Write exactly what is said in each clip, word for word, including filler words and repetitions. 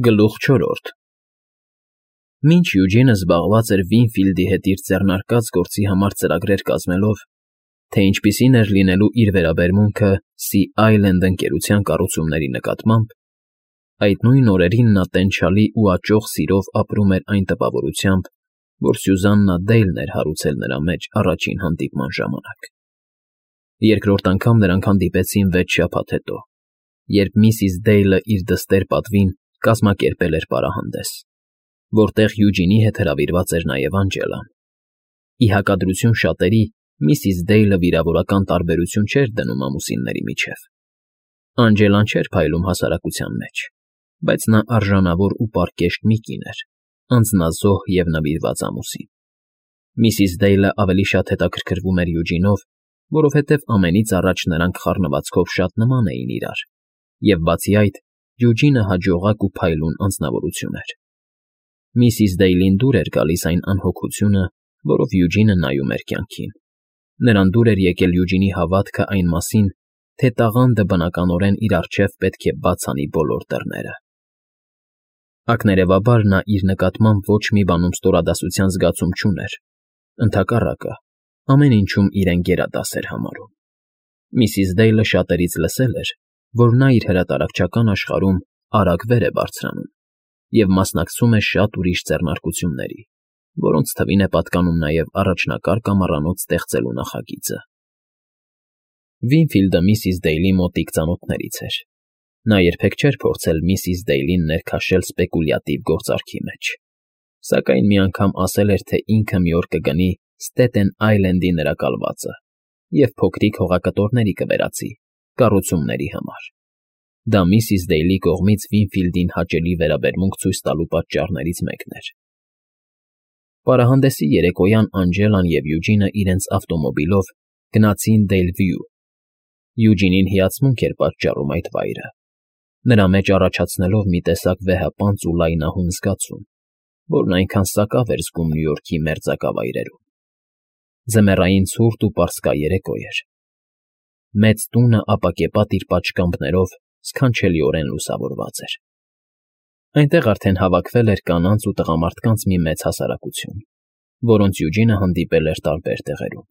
Գլուխ չորրորդ Մինչ Յուջինը զբաղված էր Վինֆիլդի հետ իր ձեռնարկած գործի համար ծրագրեր կազմելով, թե ինչպիսին էր լինելու իր վերաբերմունքը Սի Այլենդ ընկերության կառուցումների նկատմամբ, այդ նույն օրերին նա տենչալի ու աճող սիրով ապրում էր այն տպավորությամբ, որ Սյուզաննա Դեյլն էր հարուցել նրա մեջ առաջին հանդիպման ժամանակ։ Երկրորդ անգամ նրանք հանդիպեցին վեց շաբաթ հետո, երբ միսիս Դեյլը իր դստեր պատվին կազմակերպել էր պարահանդես, որտեղ Յուջինի հետ հրավիրված էր նաև Անջելան։ Ի հակադրություն շատերի, միսիս Դեյլը վիրավորական տարբերություն չէր դնում ամուսինների միջև։ Անջելան չէր փայլում հասարակության մեջ, բայց նա արժանավոր ու պարկեշտ մի կին էր, անձնազոհ և նվիրված ամուսին։ Միսիս Դեյլը ավելի շատ հետաքրքրվում էր Յուջինով, որովհետև ամենից առաջ նրանք խառնվածքով շատ նման էին իրար, և բացի այդ, Յուջինը հաջողակ ու փայլուն անձնավորություն էր։ Միսիս Դեյլին դուր էր գալիս այն անհոգությունը, որով Յուջինը նայում էր կյանքին։ Նրան դուր էր եկել Յուջինի հավատքը այն մասին, թե տաղանդը բնականորեն իր առջև պետք է բաց անի բոլոր դռները։ Ակներևաբար նա իր նկատմամբ ոչ մի բանում ստորադասության զգացում չուներ, ընդհակառակը, ամեն ինչում իրեն գերադաս էր համարում։ Միսիս Դեյլը շատերից լսել էր, որ նա իր հրատարակչական աշխարհում արագ վեր է բարձրանում և մասնակցում է շատ ուրիշ ձեռնարկությունների, որոնց թվին է պատկանում նաև առաջնակարգ կամարանոց ստեղծելու նախագիծը։ Վինֆիլդը միսիս Դեյլի մոտիկ ծանոթներից էր։ Նա երբեք չէր փորձել միսիս Դեյլին ներքաշել սպեկուլյատիվ գործարքի մեջ, սակայն մի անգամ ասել էր, թե ինքը մի օր կգնի Ստեթեն Այլենդի նրա կալվածը և փոքրիկ հողակտորների կվերածի կառուցումների համար։ Դա միսիս Դեյլի կողմից Վինֆիլդին հաճելի վերաբերմունք ցույց տալու պատճառներից մեկն էր։ Պարահանդեսի երեկոյան Անջելան և Յուջինը իրենց ավտոմոբիլով գնացին Դեյլվյու։ Յուջինին հիացմունք էր պատճառում այդ վայրը, նրա մեջ առաջացնելով մի տեսակ վեհապանծ ու լայնահուն զգացում, որն այնքան սակավ էր զգում Նյու Յորքի մերձակա ձմեռային ցուրտ ու պարսկա երեկո էր։ Մեծ տունը ապակեպատ իր պատշգամբներով սքանչելիորեն լուսավորված էր։ Այնտեղ արդեն հավաքվել էր կանանց ու տղամարդկանց մի մեծ հասարակություն, որոնց Յուջինը հանդիպել էր տարբեր տեղերում։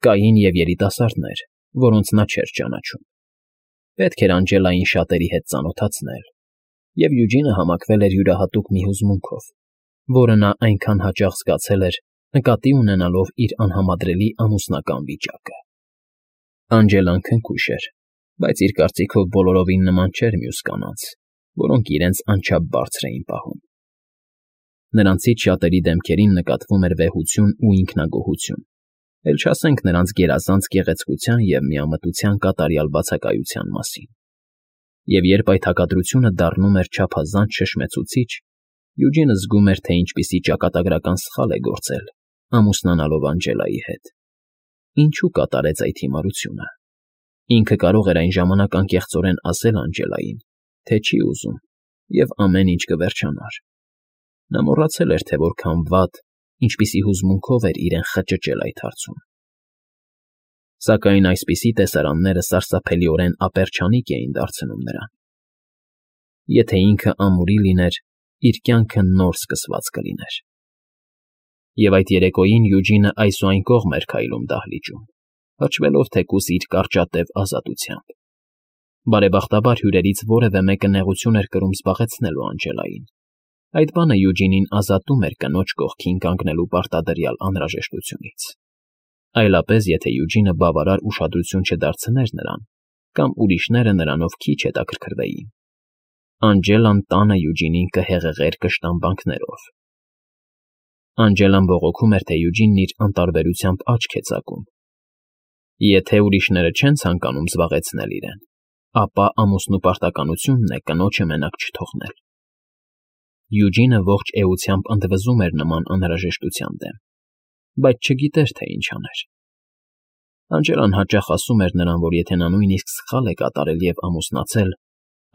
Կային և երիտասարդներ, որոնց նա չէր ճանաչում։ Պետք էր Անջելային շատերի հետ ծանոթացնել, և Յուջինը համակվել էր յուրահատուկ մի հուզմունքով, որը նա այնքան հաճախ զգացել էր, նկատի ունենալով իր անհամադրելի ամուսնական վիճակը։ Անջելան քնքուշ էր, բայց իր կարծիքով բոլորովին նման չէր մյուս կանանց, որոնք իրենց անչափ բարձր էին պահում։ Նրանցից շատերի դեմքերին նկատվում էր վեհություն ու ինքնագոհություն, էլ չասենք նրանց գերազանց գեղեցկության և միամտության կատարյալ բացակայության մասին։ Եվ երբ այդ հակադրությունը դառնում էր չափազանց շշմեցուցիչ, Յուջինը զգում էր, թե ինչպիսի ճակատագրական սխալ է գործել, ամուսնանալով Անջելայի հետ։ Ինչու կատարեց այդ հիմարությունը։ Ինքը կարող էր այն ժամանակ անկեղծորեն ասել Անջելային, թե չի ուզում, և ամեն ինչ կվերջանար։ Նա մոռացել էր, թե որքան վատ, ինչպիսի հուզմունքով էր իրեն խճճել այդ հարցում։ Սակայն այսպիսի տեսարանները սարսափելիորեն ապերջանիկ էին դարձնում նրան։ Եթե ինքը ամուրի լիներ, իր կյանքը նոր սկսված կլիներ։ Եվ այդ երեկոյին Յուջինը այս ու այն կողմ էր քայլում դահլիճում, հաշվելով թեկուզ իր կարճատև ազատությամբ։ Բարեբախտաբար հյուրերից որևէ մեկը նեղություն էր կրում զբաղեցնելու Անջելային։ Այդ բանը Յուջինին ազատում էր կնոջ կողքին կանգնելու պարտադրյալ անհրաժեշտությունից։ Այլապես, եթե Յուջինը բավարար ուշադրություն չդարձներ նրան, կամ ուրիշները նրանով քիչ հետաքրքրվեին, Անջելան տանը Յուջինին կհեղեղեր կշտամբանքներով։ Անջելան բողոքում էր, թե Յուջինն իր անտարբերությամբ աչք է ծակում։ Եթե ուրիշները չեն ցանկանում զբաղեցնել իրեն, ապա ամուսնու պարտականությունն է կնոջը մենակ չթողնել։ Յուջինը ողջ էությամբ ընդվզում էր նման անհրաժեշտության դեմ, բայց չգիտեր, թե ինչ աներ։ Անջելան հաճախ ասում էր նրան, որ եթե նա նույնիսկ սխալ է կատարել և ամուսնացել,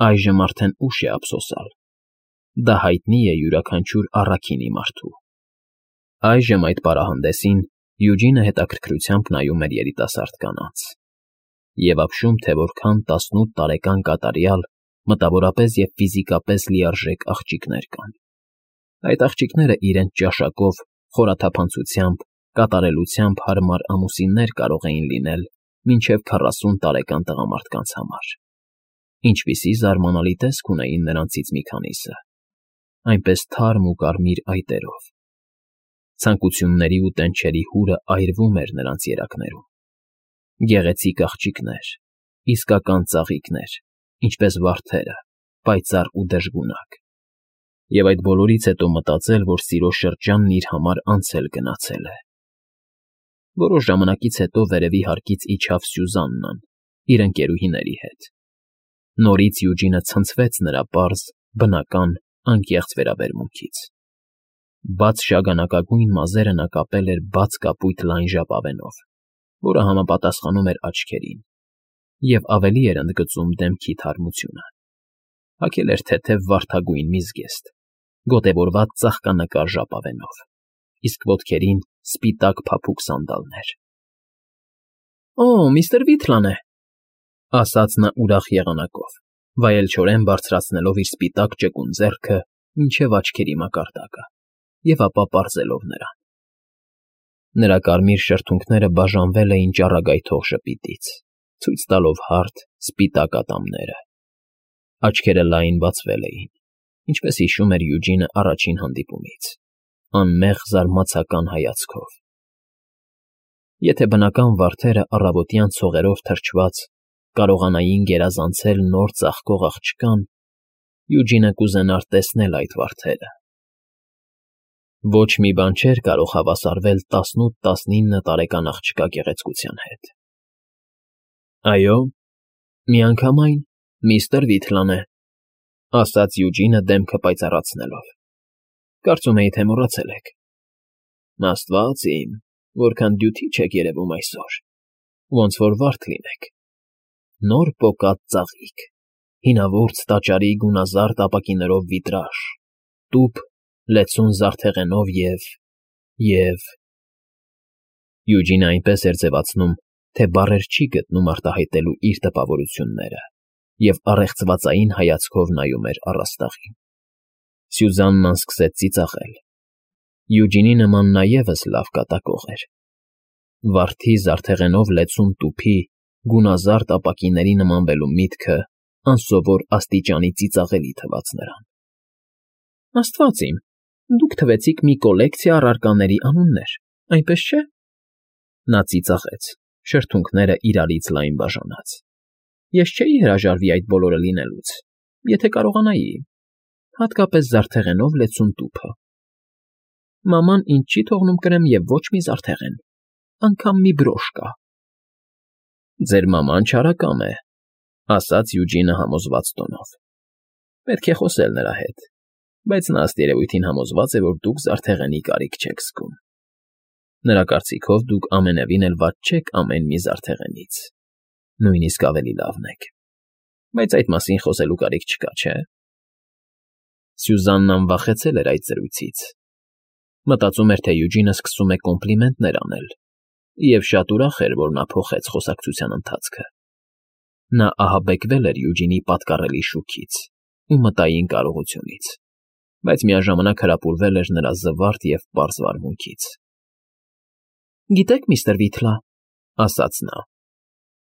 այժմ արդեն ուշ է ափսոսալ։ Դա հայտնի է յուրաքանչյուր առաքինի մարդու։ Այժմ այդ պարահանդեսին Յուջինը հետաքրքրությամբ նայում էր երիտասարդ կանանց և ապշում, թե որքան տասնութ տարեկան կատարյալ, մտավորապես և ֆիզիկապես լիարժեք աղջիկներ կան։ Այդ աղջիկները իրենց ճաշակով, խորաթափանցությամբ, կատարելությամբ հարմար ամուսիններ կարող էին լինել մինչև քառասուն տարեկան տղամարդկանց համար։ Ինչպիսի զարմանալի տեսք ունեին նրանցից մի քանիսը, այնպես թարմ ու կարմիր այտերով։ Ցանկությունների ու տենչերի հուրը այրվում էր նրանց երակներում։ Գեղեցիկ աղջիկներ, իսկական ծաղիկներ, ինչպես վարդերը, պայծառ ու դժգունակ։ Եվ այդ բոլորից հետո մտածել, որ սիրո շրջանն իր համար անցել գնացել է։ Որոշ ժամանակից հետո վերևի հարկից իջավ Սյուզաննան իր ընկերուհիների հետ։ Նորից Յուջինը ցնցվեց նրա պարզ, բնական, անկեղծ վերաբերմունքից։ Բաց շագանակագույն մազերը նա կապել էր բաց կապույտ լայն ժապավենով, որը համապատասխանում էր աչքերին, և ավելի էր ընդգծում դեմքի թարմությունը։ Հագել էր թեթև վարդագույն միզգեստ, գոտևորված ծաղկանկար ժապավենով, իսկ ոտքերին սպիտակ փափուկ սանդալներ։ ֊ Օ, միստր Վիթլան է,֊ ասաց նա ուրախ եղանակով, վայելչորեն բարձրացնելով իր սպիտակ ճկուն ձեռքը մինչև աչքերի մակարդակը և ապա պարզելով նրան։ Նրա կարմիր շրթունքները բաժանվել էին ճառագայթող ժպիտից, ցույց տալով հարթ, սպիտակ ատամները։ Աչքերը լայն բացվել էին, ինչպես հիշում էր Յուջինը առաջին հանդիպումից, անմեղ զարմացական հայացքով։ Եթե բնական վարդերը առավոտյան ցողերով թրջված կարողանային գերազանցել նոր ծաղկող աղջկան, Յուջինը կուզենար տեսնել այդ վարդերը։ Ոչ մի բան չէր կարող հավասարվել տասնութ֊տասնինը տարեկան աղջկա գեղեցկության հետ։ ֊ Այո, միանգամայն միստր Վիթլան է,֊ ասաց Յուջինը դեմքը պայծառացնելով։ Կարծում էի, թե մոռացել եք։ Աստված իմ, որքան դյութիչ եք երևում այսօր, ոնց որ վարդ լինեք։ Նոր պոկած ծաղիկ, հինավուրց տաճարի գունազարդ ապակիներով վիտրաժ, տուփ, լեցուն զարդեղենով և… և… Յուջինը այնպես էր ձևացնում, թե բառեր չի գտնում արտահայտելու իր տպավորությունները և առեղծվածային հայացքով նայում էր առաստաղին։ Սյուզաննան սկսեց ծիծաղել։ Յուջինի նման նա ևս լավ կատակող էր։ Վարդի զարդեղենով լեցուն տուփի, գունազարդ ապակիների նմանվելու միտքը անսովոր աստիճանի ծիծաղելի թվաց նրան։ ֊ Աստված իմ, դուք թվեցիք մի կոլեկցիա առարկաների անուններ, այնպես չէ՞… Նա ծիծաղեց, շրթունքները իրարից լայն բաժանած։ Ես չէի հրաժարվի այդ բոլորը լինելուց, եթե կարողանայի, հատկապես զարդեղենով լեցուն տուփը։ Մաման ինձ չի թողնում կրեմ և ոչ մի զարդեղեն, անգամ մի բրոշ կա։ ֊ Ձեր մաման չարակամ է,֊ ասաց Յուջինը համոզված տոնով։ Պետք է խոսել նրա հետ, բայց նա ըստ երևույթին համոզված է, որ դուք զարդեղենի կարիք չեք զգում։ Նրա կարծիքով դուք ամենևին էլ վատ չեք ամեն մի զարդեղենից, նույնիսկ ավելի լավն եք, բայց այդ մասին խոսելու կարիք չկա, չէ՞։ Սյուզաննան վախեցել էր այդ զրույցից։ Մտածում էր, թե Յուջինը սկսում է կոմպլիմենտներ անել, և շատ ուրախ էր, որ նա փոխեց խոսակցության ընթացքը։ Նա ահաբեկվել էր Յուջինի պատկառելի շուքից ու մտային կարողությունից, բայց միաժամանակ հրապուրվել էր նրա զվարթ և պարզ վարմունքից։ ֊ Գիտեք, միստր Վիթլա,֊ ասաց նա,֊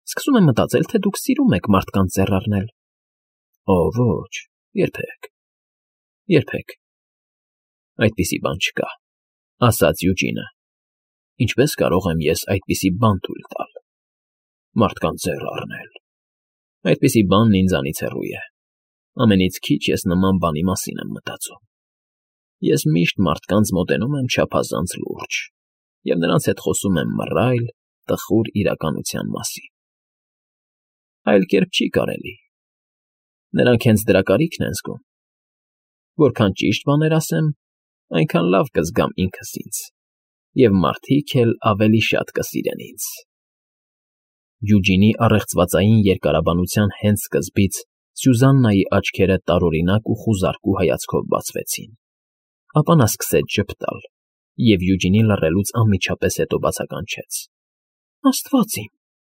սկսում եմ մտածել, թե դուք սիրում եք մարդկանց ձեռ առնել։ ֊ Օ, ոչ, երբեք, երբեք… Այդպիսի բան չկա,֊ ասաց Յուջինը։ Ինչպե՞ս կարող եմ ես այդպիսի բան թույլ տալ… մարդկանց ձեռ առնել… Այդպիսի բանն ինձանից հեռու է։ Ամենից քիչ ես նման բանի մասին եմ մտածում։ Ես միշտ մարդկանց մոտենում եմ չափազանց լուրջ և նրանց հետ խոսում եմ մռայլ, տխուր իրականության մասին։ Այլ կերպ չի կարելի։ Նրանք հենց դրա կարիքն են զգում։ Որքան ճիշտ բաներ ասեմ, այնքան լավ կզգամ ինքս ինձ, և մարդիկ էլ ավելի շատ կսիրեն ինձ… Յուջինի առեղծվածային երկարաբանության հենց սկզբից Սյուզաննայի աչքերը տարօրինակ ու խուզարկու հայացքով բացվեցին, ապա նա սկսեց ժպտալ և Յուջինի լռելուց անմիջապես հետո բացականչեց. ֊ Աստված իմ,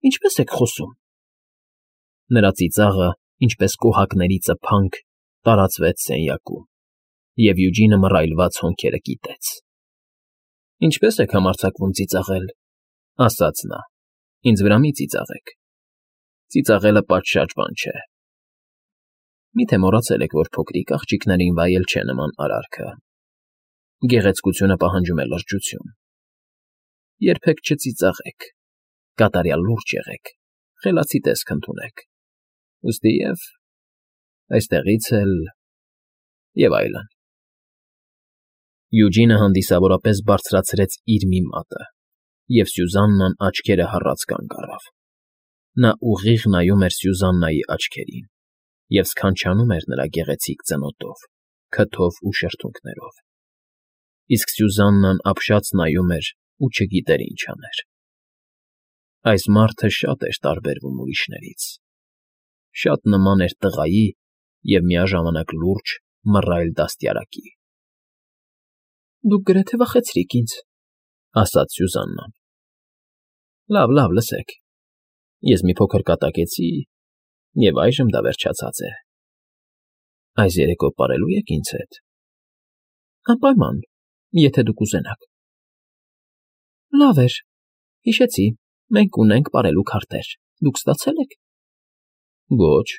ինչպե՞ս եք խոսում… Նրա ծիծաղը ինչպես կոհակների ծփանք, տարածվեց սենյակում, և Յուջինը մռայլված հոնքերը կիտեց։ ֊ Ինչպե՞ս եք համարձակվում ծիծաղել,֊ ասաց նա։֊ Ինձ վրա մի ծիծաղեք… Ծիծաղելը պատշաճ բան չէ… Մի՞թե մոռացել եք, որ փոքրիկ աղջիկներին վայել չէ նման արարքը… Գեղեցկությունը պահանջում է լրջություն… Երբեք չծիծաղեք, կատարյալ լուրջ եղեք, խելացի տեսք ընդունեք… Ուստի և… այստեղից էլ… և այլն… Յուջինը հանդիսավորապես բարձրացրեց իր մի մատը, և Սյուզաննան աչքերը հառած կանգ առավ… Նա ուղիղ նայում էր Սյուզաննայի աչքերին և սքանչանում էր նրա գեղեցիկ ծնոտով, քթով ու շրթունքներով… Իսկ Սյուզաննան ապշած նայում էր ու չգիտեր ինչ աներ… Այս մարդը շատ էր տարբերվում ուրիշներից… Շատ նման էր տղայի և միաժամանակ լուրջ, մռայլ դաստիարակի… ֊ Դուք գրեթե վախեցրիք ինձ,֊ ասաց Սյուզաննան։ ֊ Լավ, լավ, լսեք… Ես մի փոքր կատակեցի, և այժմ դա վերջացած է… Այս երեկո պարելո՞ւ եք ինձ հետ։ ֊ Անպայման, եթե դուք ուզենաք… ֊ Լավ էր, հիշեցի, մենք ունենք պարելու քարտեր, դուք ստացե՞լ եք։ ֊ Ոչ…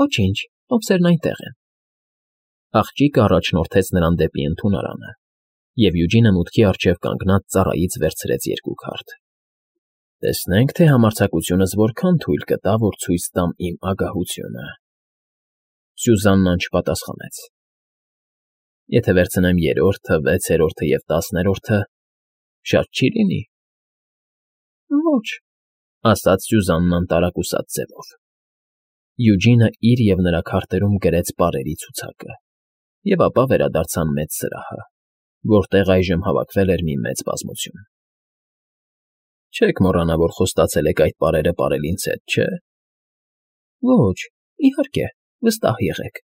Ոչինչ, տոմսերն այնտեղ են… Աղջիկը առաջորդեց նրան դեպի ընդունարանը, և Յուջինը մուտքի առջև կանգնած ծառայից վերցրեց երկու քարտ։ ֊ Տեսնենք, թե համարձակությունս որքան թույլ կտա, որ ցույց տամ իմ ագահությունը… Սյուզաննան չպատասխանեց։ ֊ Եթե վերցնեմ երրորդը, վեցերորդը և տասներորդը, շատ չի՞ լինի։ ֊ Ոչ,֊ ասաց Սյուզաննան տարակուսած ձևով։ Յուջինը իր և նրա քարտերում գրեց պարերի ցուցակը և ապա վերադարձան մեծ սրահը, որտեղ այժմ հավաքվել էր մի մեծ բազմություն։ ֊ Չեք մոռանա, որ խոստացել եք այդ պարերը պարել ինձ հետ, չէ՞։ ֊ Ոչ, իհարկե, վստահ եղեք,֊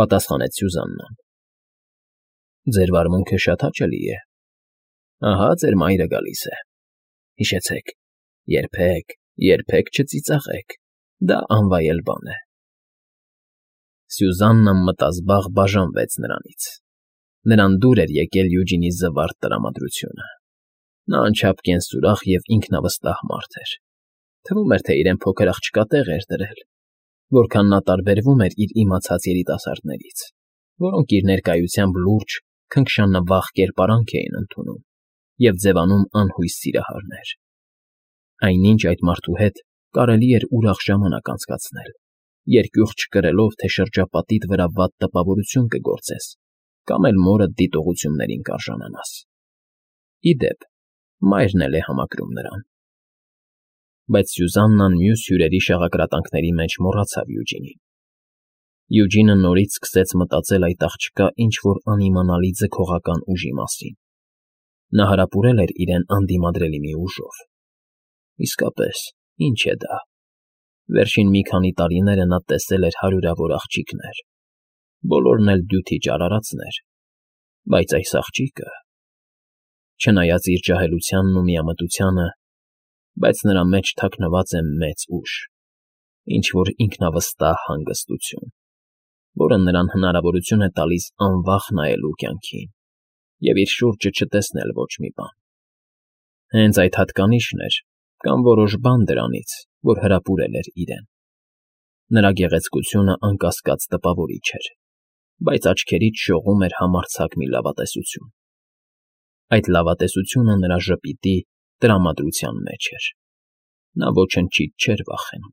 պատասխանեց Սյուզաննան։ ֊ Ձեր վարմունքը շատ հաճելի է… Ահա ձեր մայրը գալիս է… Հիշեցեք, երբեք, երբեք չծիծաղեք, դա անվայել բան է… Սյուզաննան մտազբաղ բաժանվեց նրանից… Նրան դուր էր եկել Յուջինի զվարթ տրամադրությունը… Նա անչափ կենսուրախ և ինքնավստահ մարդ էր… Թվում էր, թե իրեն փոքր աղջկա տեղ էր դրել… Որքան նա տարբերվում էր իր իմացած երիտասարդներից, որոնք իր ներկայությամբ լուրջ, քնքշանվախ կերպարանք էին ընդունում և ձևանում անհույս սիրահարներ… Այնինչ այդ մարդու հետ կարելի էր ուրախ ժամանակ անցկացնել, երկյուղ չկրելով, թե շրջապատիդ վրա վատ տպավորություն կգործես կամ էլ մորդ դիտողություններին կարժանանաս… Ի դեպ, մայրն էլ է համակրում նրան… Բայց Սյուզաննան մյուս հյուրերի շաղակրատանքների մեջ մոռացավ Յուջինին… Յուջինը նորից սկսեց մտածել այդ աղջկա ինչ֊որ անիմանալի ձգողական ուժի մասին… Նա հարապուրել էր իրեն անդիմադրելի մի ուժով… Իսկապես, ի՞նչ է դա… Վերջին մի քանի տարիները նա տեսել էր հարյուրավոր աղջիկներ, բոլորն էլ դյութիչ արարածներ, բայց այս աղջիկը… Չնայած իր ջահելությանն ու միամտությանը, բայց նրա մեջ թաքնված է մեծ ուժ, ինչ֊որ ինքնավստահ հանգստություն, որը նրան հնարավորություն է տալիս անվախ նայելու կյանքին և իր շուրջը չտեսնել ոչ մի բան… Հենց այդ հատկանիշն էր կամ որոշ բան դրանից, որ հրապուրել էր իրեն… Նրա գեղեցկությունը, անկասկած, տպավորիչ էր, բայց աչքերից շողում էր համարձակ մի լավատեսություն… Այդ լավատեսությունը նրա ժպիտի, տրամադրության մեջ էր… Նա ոչնչից չէր վախենում…